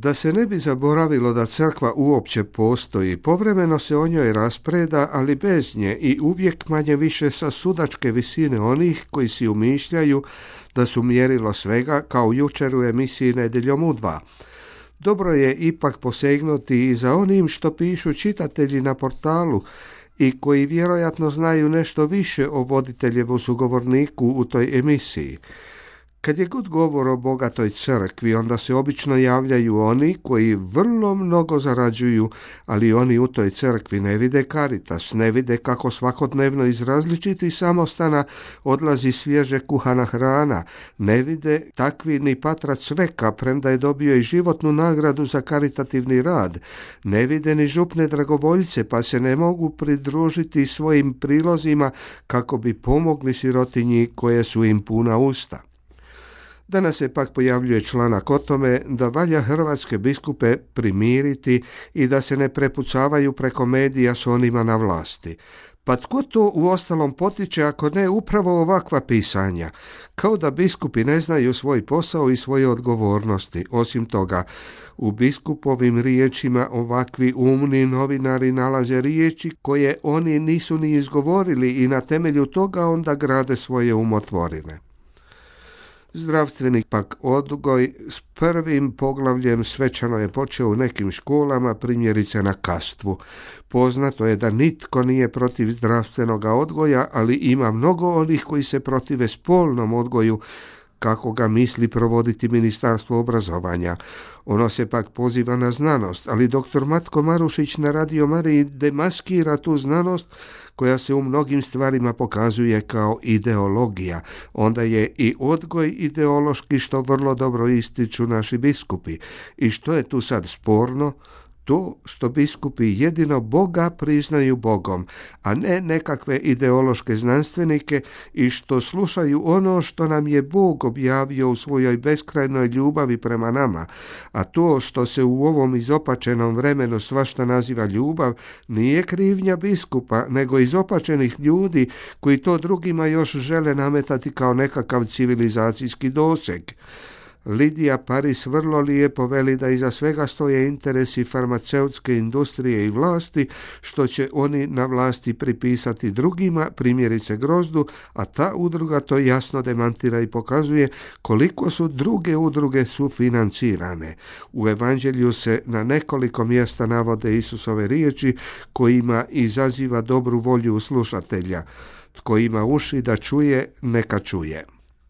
Da se ne bi zaboravilo da crkva uopće postoji, povremeno se o njoj raspreda, ali bez nje i uvijek manje više sa sudačke visine onih koji si umišljaju da su mjerilo svega, kao jučer u emisiji Nedjeljom u 2. Dobro je ipak posegnuti i za onim što pišu čitatelji na portalu i koji vjerojatno znaju nešto više o voditeljevu sugovorniku u toj emisiji. Kad je god govor o bogatoj crkvi, onda se obično javljaju oni koji vrlo mnogo zarađuju, ali oni u toj crkvi ne vide Caritas, ne vide kako svakodnevno iz različitih samostana odlazi svježe kuhana hrana, ne vide takvi ni patrac Sveka, premda je dobio i životnu nagradu za karitativni rad, ne vide ni župne dragovoljce, pa se ne mogu pridružiti svojim prilozima kako bi pomogli sirotinji koje su im puna usta. Danas se pak pojavljuje članak o tome da valja hrvatske biskupe primiriti i da se ne prepucavaju preko medija s onima na vlasti. Pa tko to uostalom potiče ako ne upravo ovakva pisanja? Kao da biskupi ne znaju svoj posao i svoje odgovornosti. Osim toga, u biskupovim riječima ovakvi umni novinari nalaze riječi koje oni nisu ni izgovorili i na temelju toga onda grade svoje umotvorine. Zdravstveni pak odgoj s prvim poglavljem svečano je počeo u nekim školama, primjerice na Kastvu. Poznato je da nitko nije protiv zdravstvenog odgoja, ali ima mnogo onih koji se protive spolnom odgoju, kako ga misli provoditi Ministarstvo obrazovanja. Ono se pak poziva na znanost, ali dr. Matko Marušić na Radio Mariji demaskira tu znanost koja se u mnogim stvarima pokazuje kao ideologija. Onda je i odgoj ideološki, što vrlo dobro ističu naši biskupi. I što je tu sad sporno? To što biskupi jedino Boga priznaju Bogom, a ne nekakve ideološke znanstvenike i što slušaju ono što nam je Bog objavio u svojoj beskrajnoj ljubavi prema nama, a to što se u ovom izopačenom vremenu svašta naziva ljubav nije krivnja biskupa, nego izopačenih ljudi koji to drugima još žele nametati kao nekakav civilizacijski doseg. Lidija Paris vrlo lijepo veli da iza svega stoje interesi farmaceutske industrije i vlasti, što će oni na vlasti pripisati drugima, primjerice Grozdu, a ta udruga to jasno demantira i pokazuje koliko su druge udruge sufinancirane. U Evanđelju se na nekoliko mjesta navode Isusove riječi kojima izaziva dobru volju slušatelja. Tko ima uši da čuje, neka čuje.